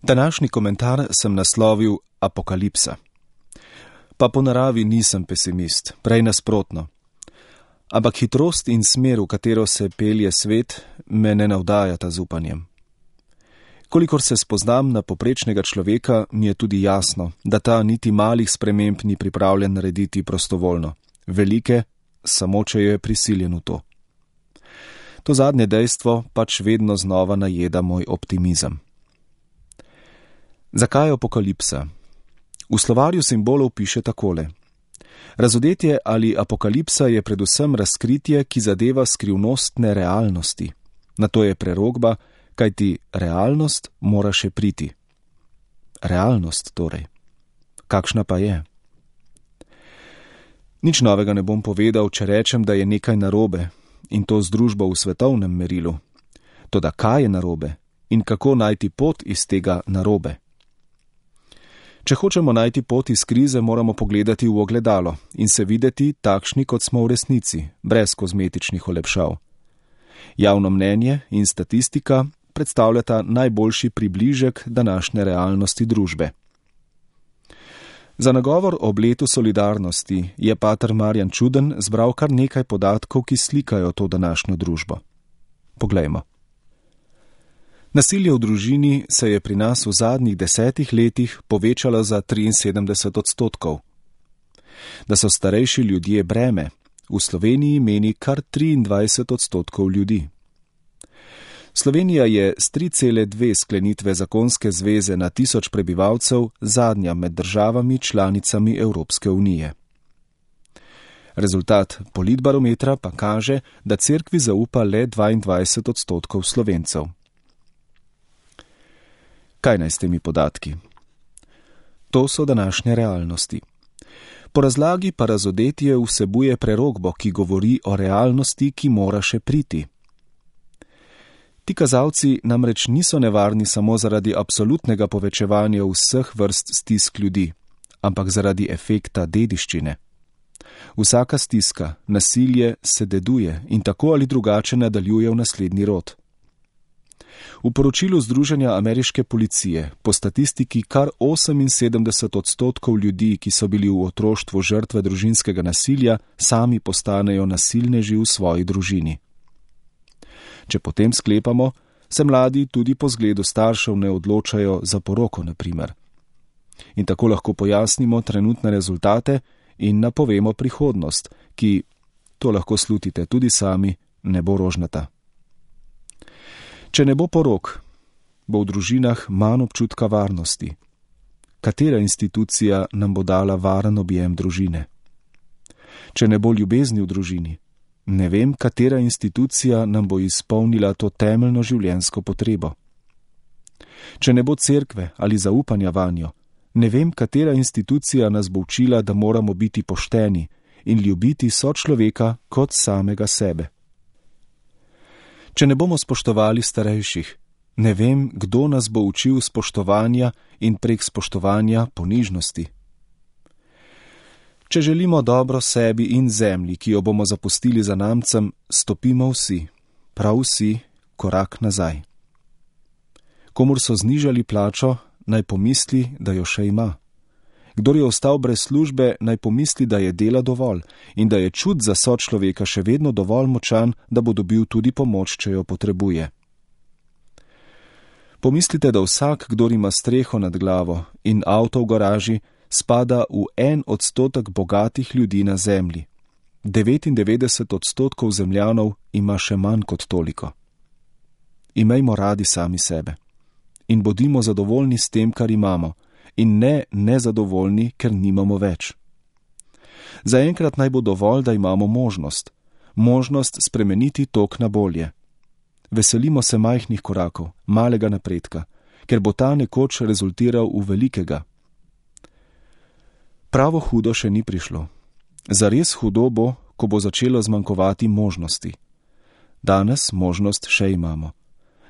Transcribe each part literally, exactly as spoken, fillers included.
Današnji komentar sem naslovil Apokalipsa. Pa po naravi nisem pesimist, prej nasprotno. Ampak hitrost in smer, v katero se pelje svet, me ne navdajata z upanjem. Kolikor se spoznam na poprečnega človeka, mi je tudi jasno, da ta niti malih sprememb ni pripravljen narediti prostovoljno. Velike, samo če je prisiljen v to. To zadnje dejstvo pač vedno znova najeda moj optimizem. Zakaj apokalipsa? V slovarju simbolov piše takole. Razodetje ali apokalipsa je predvsem razkritje, ki zadeva skrivnostne realnosti. Na to je prerokba, kajti realnost mora še priti. Realnost torej. Kakšna pa je? Nič novega ne bom povedal, če rečem, da je nekaj narobe, in to z družbo v svetovnem merilu. Toda kaj je narobe in kako najti pot iz tega narobe? Če hočemo najti pot iz krize, moramo pogledati v ogledalo in se videti takšni, kot smo v resnici, brez kozmetičnih olepšav. Javno mnenje in statistika predstavljata najboljši približek današnje realnosti družbe. Za nagovor ob letu solidarnosti je pater Marjan Čuden zbral kar nekaj podatkov, ki slikajo to današnjo družbo. Poglejmo. Nasilje v družini se je pri nas v zadnjih desetih letih povečalo za triinsedemdeset odstotkov. Da so starejši ljudje breme, v Sloveniji meni kar triindvajset odstotkov ljudi. Slovenija je s tri cele dve sklenitve zakonske zveze na tisoč prebivalcev zadnja med državami članicami Evropske unije. Rezultat politbarometra pa kaže, da cerkvi zaupa le dvaindvajset odstotkov Slovencev. Kaj naj s temi podatki? To so današnje realnosti. Po razlagi pa razodetje vsebuje prerokbo, ki govori o realnosti, ki mora še priti. Ti kazalci namreč niso nevarni samo zaradi absolutnega povečevanja vseh vrst stisk ljudi, ampak zaradi efekta dediščine. Vsaka stiska, nasilje se deduje in tako ali drugače nadaljuje v naslednji rod. V poročilu Združenja ameriške policije po statistiki kar oseminsedemdeset odstotkov ljudi, ki so bili v otroštvu žrtve družinskega nasilja, sami postanejo nasilneži v svoji družini. Če potem sklepamo, se mladi tudi po zgledu staršev ne odločajo za poroko, na primer. In tako lahko pojasnimo trenutne rezultate in napovemo prihodnost, ki, to lahko slutite tudi sami, ne bo rožnata. Če ne bo porok, bo v družinah manj občutka varnosti. Katera institucija nam bo dala varen objem družine? Če ne bo ljubezni v družini, ne vem, katera institucija nam bo izpolnila to temeljno življenjsko potrebo. Če ne bo cerkve ali zaupanja vanjo, ne vem, katera institucija nas bo učila, da moramo biti pošteni in ljubiti sočloveka kot samega sebe. Če ne bomo spoštovali starejših, ne vem, kdo nas bo učil spoštovanja in prek spoštovanja ponižnosti. Če želimo dobro sebi in zemlji, ki jo bomo zapustili za namcem, stopimo vsi, prav vsi, korak nazaj. Komur so znižali plačo, naj pomisli, da jo še ima. Kdor je ostal brez službe, naj pomisli, da je dela dovolj in da je čut za sočloveka še vedno dovolj močan, da bo dobil tudi pomoč, če jo potrebuje. Pomislite, da vsak, kdor ima streho nad glavo in avto v garaži, spada v en odstotek bogatih ljudi na zemlji. devetindevetdeset odstotkov zemljanov ima še manj kot toliko. Imejmo radi sami sebe in bodimo zadovoljni s tem, kar imamo, in ne nezadovoljni, ker nimamo več. Zaenkrat naj bo dovolj, da imamo možnost, možnost spremeniti tok na bolje. Veselimo se majhnih korakov, malega napredka, ker bo ta nekoč rezultiral v velikega. Pravo hudo še ni prišlo. Zares hudo bo, ko bo začelo zmanjkovati možnosti. Danes možnost še imamo.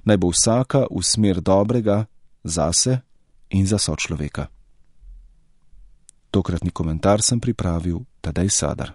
Naj bo vsaka v smer dobrega zase in za sočloveka. Tokratni komentar sem pripravil Tadej Sadar.